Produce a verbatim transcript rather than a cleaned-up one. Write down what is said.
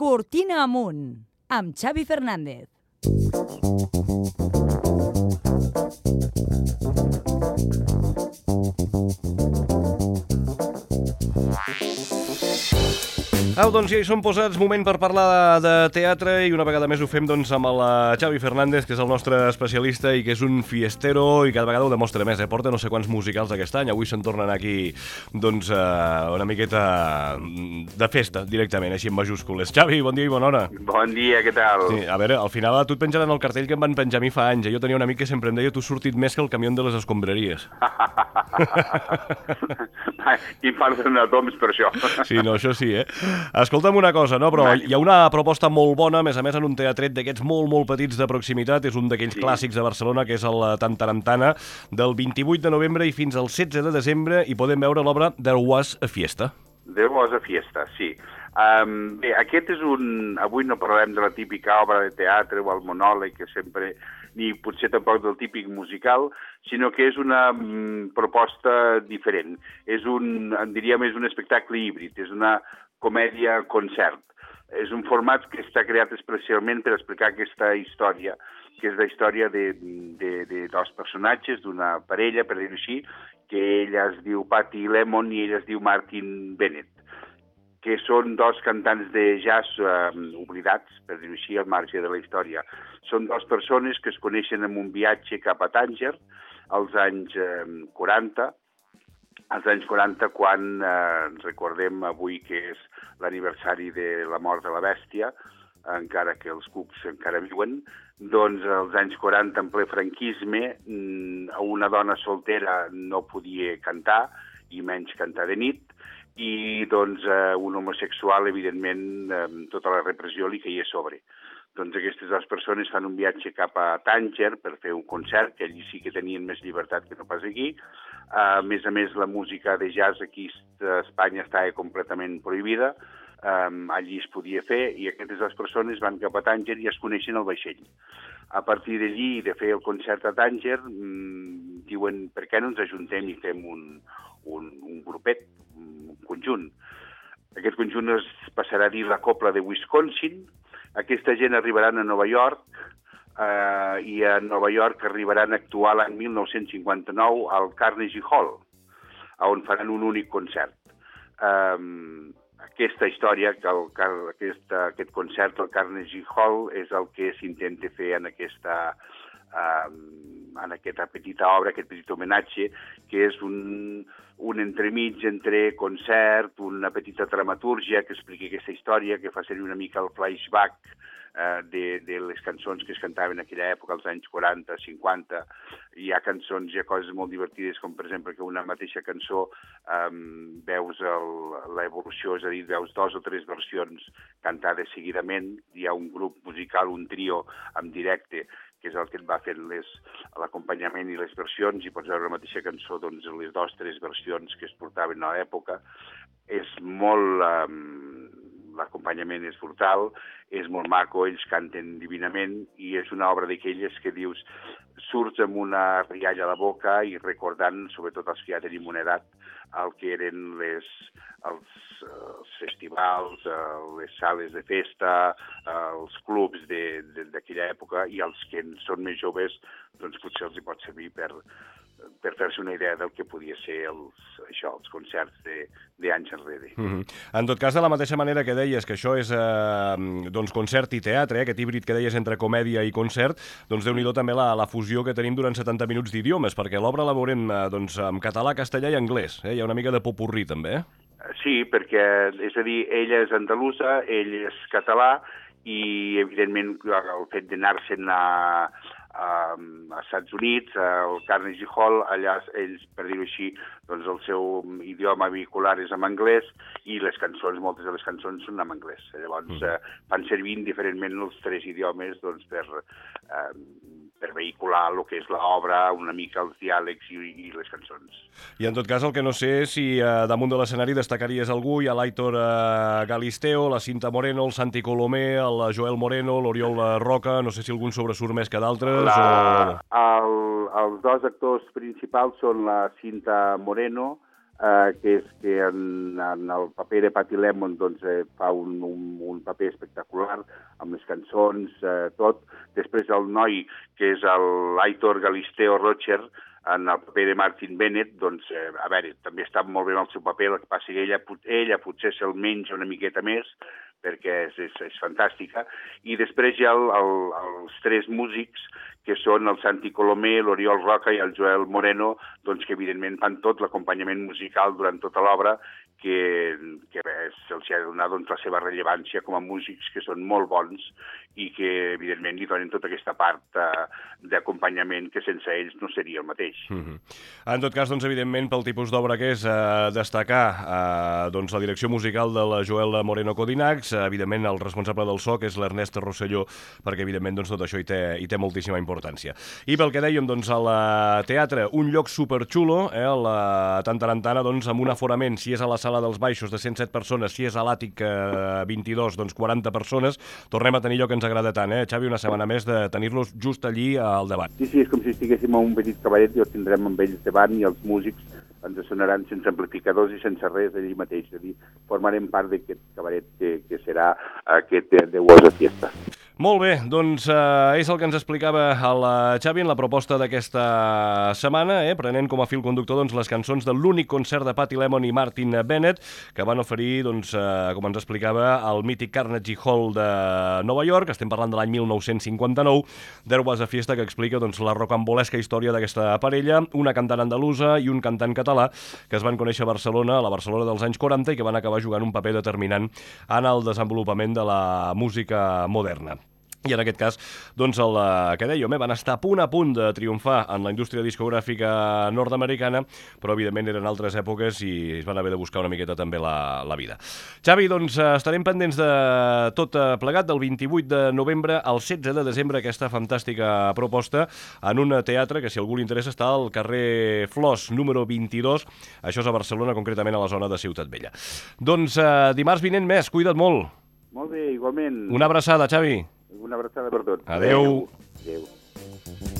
Cortina amunt, amb Xavi Fernández. Au, doncs ja hi som posats, moment per parlar de teatre i una vegada més ho fem doncs, amb el Xavi Fernández, que és el nostre especialista i que és un fiestero i cada vegada ho demostra més, eh? Porta no sé quants musicals aquest any, avui se'n tornen aquí doncs, uh, una miqueta de festa directament, així en majúscules. Xavi, bon dia i bona hora. Bon dia, què tal? Sí, a veure, al final a tu et penjaran el cartell que em van penjar a mi fa anys, eh? Jo tenia un amic que sempre em deia tu has sortit més que el camió de les escombraries. I parles de toms per això. Sí, no, això sí, eh? Escolta'm una cosa, no? Però hi ha una proposta molt bona, a més a més en un teatret d'aquests molt, molt petits de proximitat, és un d'aquells sí. clàssics de Barcelona, que és el Tantarantana, del vint-i-vuit de novembre i fins al setze de desembre, i podem veure l'obra There Was a Fiesta. There Was a Fiesta, sí. Um, bé, aquest és un... Avui no parlarem de la típica obra de teatre o el monòleg, que sempre... ni potser tampoc del típic musical, sinó que és una mm, proposta diferent. És un, en diríem, és un espectacle híbrid, és una comèdia-concert. És un format que està creat especialment per explicar aquesta història, que és la història de, de, de dos personatges, d'una parella, per dir-ho així, que ella es diu Patty Lemon i ell es diu Martin Bennett, que són dos cantants de jazz eh, oblidats, per dir-ho així, al marge de la història. Són dues persones que es coneixen en un viatge cap a Tànger, als anys eh, quaranta, als anys quaranta, quan eh, recordem avui que és l'aniversari de la mort de la bèstia, encara que els cucs encara viuen, doncs als anys quaranta, en ple franquisme, una dona soltera no podia cantar, i menys cantar de nit, i doncs eh, un homosexual, evidentment, eh, tota la repressió li caia a sobre. Doncs aquestes dues persones fan un viatge cap a Tànger per fer un concert, que allí sí que tenien més llibertat que no pas aquí. Uh, a més a més, la música de jazz aquí a Espanya estava completament prohibida, um, allí es podia fer, i aquestes dues persones van cap a Tànger i es coneixen al vaixell. A partir d'allí, de fer el concert a Tànger, mmm, diuen, per què no ens ajuntem i fem un, un, un grupet, un conjunt. Aquest conjunt es passarà a dir la Copla de Wisconsin. Aquesta gent arribaran a Nova York, eh, i a Nova York arribaran a actuar l'any mil nou-cents cinquanta-nou al Carnegie Hall, on faran un únic concert. Um, aquesta història, que el, aquest, aquest concert al Carnegie Hall, és el que s'intenta fer en aquesta, um, en aquesta petita obra, aquest petit homenatge, que és un, un entremig entre concert, una petita dramatúrgia que explica aquesta història, que fa servir una mica el flashback eh, de, de les cançons que es cantaven en aquella època, als anys quaranta, cinquanta. Hi ha cançons, hi ha coses molt divertides, com per exemple que una mateixa cançó eh, veus l'evolució, és a dir, veus dos o tres versions cantades seguidament. Hi ha un grup musical, un trio en directe, que és el que et va fent l'acompanyament i les versions, i pots veure la mateixa cançó, doncs, les dues o tres versions que es portaven a l'època. És molt... Um, l'acompanyament és brutal, és molt maco, ells canten divinament, i és una obra d'aquelles que dius, surts amb una rialla a la boca i recordant, sobretot els que ja tenim una edat, el que eren les, els, els festivals, les sales de festa, els clubs d'aquella època, i els que són més joves, doncs potser els hi pot servir per, per fer-se una idea del que podia ser els, això, els concerts d'anys enrere. Mm-hmm. En tot cas, de la mateixa manera que deies que això és eh, doncs concert i teatre, eh, aquest híbrid que deies entre comèdia i concert, doncs déu-n'hi-do també la, la fusió que tenim durant setanta minuts d'idiomes, perquè l'obra la veurem eh, doncs, en català, castellà i anglès. Eh? Hi ha una mica de popurrí, també, eh? Sí, perquè, és a dir, ella és andalusa, ell és català, i, evidentment, el fet d'anar-se'n a... a Estats Units, al Carnegie Hall, allà ells, per dir-ho així, doncs el seu idioma vehicular és en anglès, i les cançons, moltes de les cançons són en anglès. Llavors mm. eh, fan servir indiferentment els tres idiomes doncs, per, eh, per vehicular el que és l'obra, una mica els diàlegs i, i les cançons. I en tot cas, el que no sé és si eh, damunt de l'escenari destacaries algú, hi ha l'Aitor eh, Galisteo, la Cinta Moreno, el Santi Colomé, el Joel Moreno, l'Oriol Roca, no sé si algun sobresurt més que d'altres. La, o... el, els dos actors principals són la Cinta Moreno, eh, que és que en, en el paper de Patty Lemon doncs, eh, fa un, un, un paper espectacular amb les cançons, eh, tot. Després el noi, que és l'Aitor Galisteo Rocher, en el paper de Martin Bennett, doncs, eh, a veure, també està molt bé en el seu paper, el que passa que ella, ella potser se'l menja una miqueta més, perquè és, és, és fantàstica. I després hi ha el, el, els tres músics, que són el Santi Colomé, l'Oriol Roca i el Joel Moreno, doncs, que evidentment fan tot l'acompanyament musical durant tota l'obra, que, que se'ls ha de donar doncs, la seva rellevància com a músics, que són molt bons i que, evidentment, li donen tota aquesta part eh, d'acompanyament que sense ells no seria el mateix. Mm-hmm. En tot cas, doncs, evidentment, pel tipus d'obra que és, eh, destacar eh, doncs, la direcció musical de la Joel Moreno Codinacs, eh, evidentment, el responsable del so, que és l'Ernest Rosselló, perquè, evidentment, doncs, tot això hi té, hi té moltíssima importància. I pel que dèiem, doncs, al teatre, un lloc superxulo, eh, la Tantarantana, doncs, amb un aforament, si és a la sala dels baixos de cent set persones, si és a l'àtic eh, vint-i-dos, doncs quaranta persones, tornem a tenir allò que ens agrada tant, eh, Xavi, una setmana més de tenir-los just allí al davant. Sí, sí, és com si estiguéssim a un petit cabaret i els tindrem amb ells davant i els músics ens sonaran sense amplificadors i sense res allí mateix. És a dir, formarem part d'aquest cabaret que, que serà aquest deu hores de fiesta. Molt bé, doncs eh, és el que ens explicava el Xavi en la proposta d'aquesta setmana, eh, prenent com a fil conductor doncs, les cançons de l'únic concert de Patty Lemon i Martin Bennett, que van oferir, doncs, eh, com ens explicava, al mític Carnegie Hall de Nova York. Estem parlant de l'any mil nou-cents cinquanta-nou, There Was a Fiesta, que explica doncs, la rocambolesca història d'aquesta parella, una cantant andalusa i un cantant català, que es van conèixer a Barcelona, a la Barcelona dels anys quaranta, i que van acabar jugant un paper determinant en el desenvolupament de la música moderna. I en aquest cas, doncs, el que dèiem, eh, van estar a punt a punt de triomfar en la indústria discogràfica nord-americana, però evidentment eren altres èpoques i es van haver de buscar una miqueta també la, la vida. Xavi, doncs estarem pendents de tot plegat, del vint-i-vuit de novembre al setze de desembre, aquesta fantàstica proposta en un teatre que, si algú li interessa, està al carrer Flors, número vint-i-dos, això és a Barcelona, concretament a la zona de Ciutat Vella. Doncs eh, dimarts vinent més, cuida't molt. Molt bé, igualment. Una abraçada, Xavi. Una abraçada per tots. Adéu. Adéu. Adéu.